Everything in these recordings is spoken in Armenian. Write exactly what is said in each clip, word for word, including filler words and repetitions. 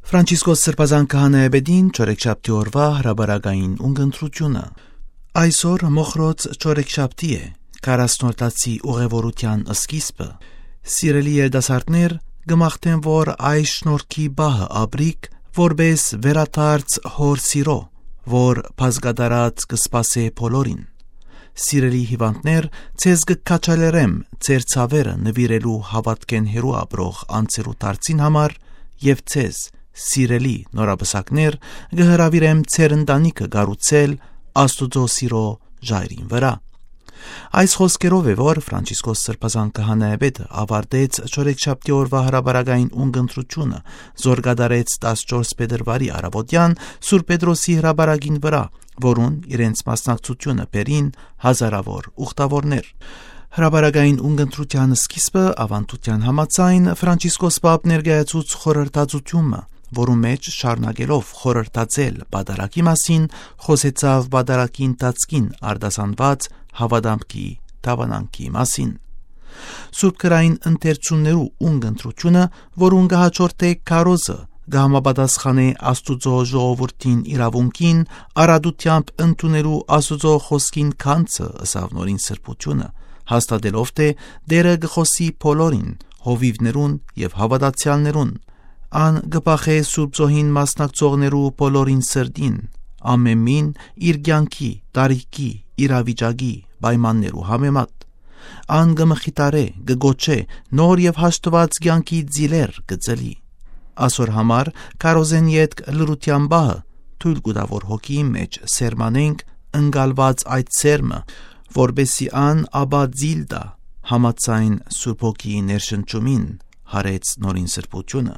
Ֆրանցիսկոս Սրբազան քահանայապետին չորեքշաբթի օրվա հրաբարակային ունգընտրությունը։ Այսօր մոխրոց չորեքշաբթի է, քառասնորդացի ուղևորության սկիզբը։ Սիրելի երիտասարդներ, գմախտեն, որ այս շնորհքի բահը ապրիկ որպես վերադարձ հոր սիրո, որ բազգադարած կսպասե բոլորին։ Սիրելի հիվանդներ, ցեզ կքաչալերեմ ձեր ցավերը նվիրելու հավատքեն հերու ապրող անձերու դարձին համար եւ ցեզ սիրելի նորաբսակներ գհրավիրեմ ձեր ընտանիքը գառուցել Աստուծո սիրո ժայռին վրա։ Այս խոսքերով է, որ Ֆրանցիսկոս Սրբազան քահանայապետը ավարտեց չորեքշաբթի օրվա հրաբարակային ունգընտրությունը, զորգադարեց տասնչորս փետրվարի առավոտյան Սուրբ Պետրոսի հրաբարակին վրա, որուն իրենց մասնակցությունը բերին հազարավոր ուխտավորներ։ Հրաբարակային ունգընտրության սկիզբը ավանդության համաձայն Ֆրանցիսկոս Պապ ներկայացուց խորհրդածությունը, որու մեջ շարունակելով խորհրդածել բադարակի մասին, խոսեցավ բադարակի ընթացքին արտասանված հավատամքի դավանանքի մասին։ Սուրբ քրային ընթերցումներու ունգընտրությունը, որուն կհաջորդե քարոզը, կհամապատասխանե Աստուծո ժողովրդին իրավունքին արադությամբ ընդունելու Աստուծո խոսքին քանցը ըսավ նորին սրբությունը, հաստատելով թե Տերը կխոսի բոլորին, հովիվներուն եւ հավատացյալներուն, ան կփախե Սուրբ Զոհին մասնակցողներու բոլորին սրտին, ամենին իր կյանքի, տարիքի, իրավիճակի պայմաններու համեմատ, ան կմխիտարե, կգոչե, նոր եւ հաշտված կյանքի ձիլեր կծլի։ Ասոր համար կարոզեն յետք լրության բահը թույլ կտա որ հոգիի մեջ սերմանենք ընկալված այդ սերմը, որբեսի ան աբա ձիլ տա համաձայն Սուրբ Հոգիի ներշնչումին, հարեց նորին սրբությունը։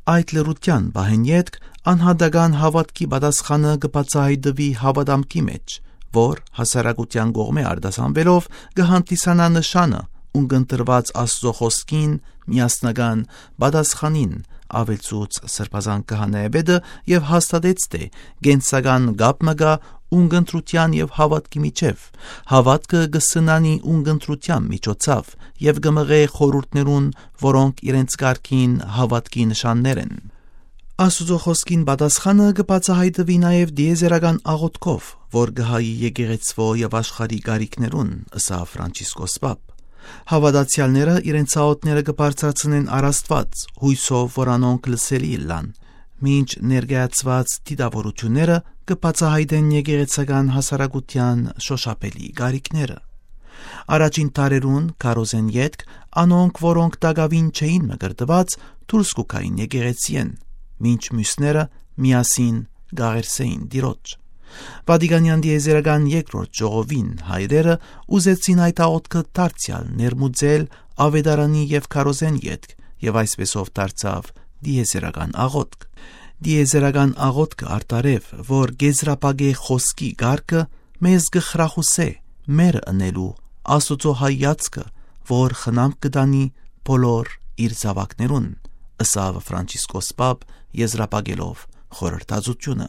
Այդ լրության բահեն յետք անհատական հավատքի պատասխանը կբացահայտվի հավատամքի մեջ, որ հասարակության կողմէ արտասանվելով կհանդիսանա նշանը ունգընտրված Աստծո խոսքին միասնական պատասխանին, ավելցուց Սրբազան քահանայապետը եւ հաստատեց թե գենսական գապ մը կա ունգընտրության եւ հավատքի միջև, հավատքը կսնանի ունգընտրության միջոցով եւ կմղե խորհուրդներուն, որոնք իրենց կարգին հավատքի նշաններ են։ Աստուծո խոսքին պատասխանը կբացահայտվի նաեւ դիեզերական աղոթքով, որ կհայի եկեղեցվո եւ աշխարհի գարիքներուն, ըսա Ֆրանցիսկոս Պապ։ Հավատացյալները իրենց աղոթները կբարձրացնեն առաստված, հույսով, որ անոնք լսելի լան, մինչ ներկայացված դիտավորությունները կբացահայտեն եկեղեցական հասարակության շոշափելի գարիքները։ Առաջին տարերուն կարոզեն յետք անոնք, որոնք տակավին չէին մկրտված, դուրս կուքային եկեղեցիեն, մինչ մյուսները միասին գաղերսեին Տիրոջ։ Վատիկանյան դիեզերական երկրորդ ժողովին հայրերը ուզեցին այդ աղոթքը դարձյալ ներմուծել ավետարանի եւ քարոզեն յետք եւ այսպեսով դարձավ դիեզերական աղոթք։ Դիեզերական աղոթքը արտարև, որ գեզրապագե խոսքի գարկը մեզ գխրախուսե մեր ընելու Աստուծո հայացքը, որ խնամք կտանի բոլոր իր զավակներուն, ըսավ Ֆրանցիսկոս Պապ եզրապագելով խորհրդածությունը։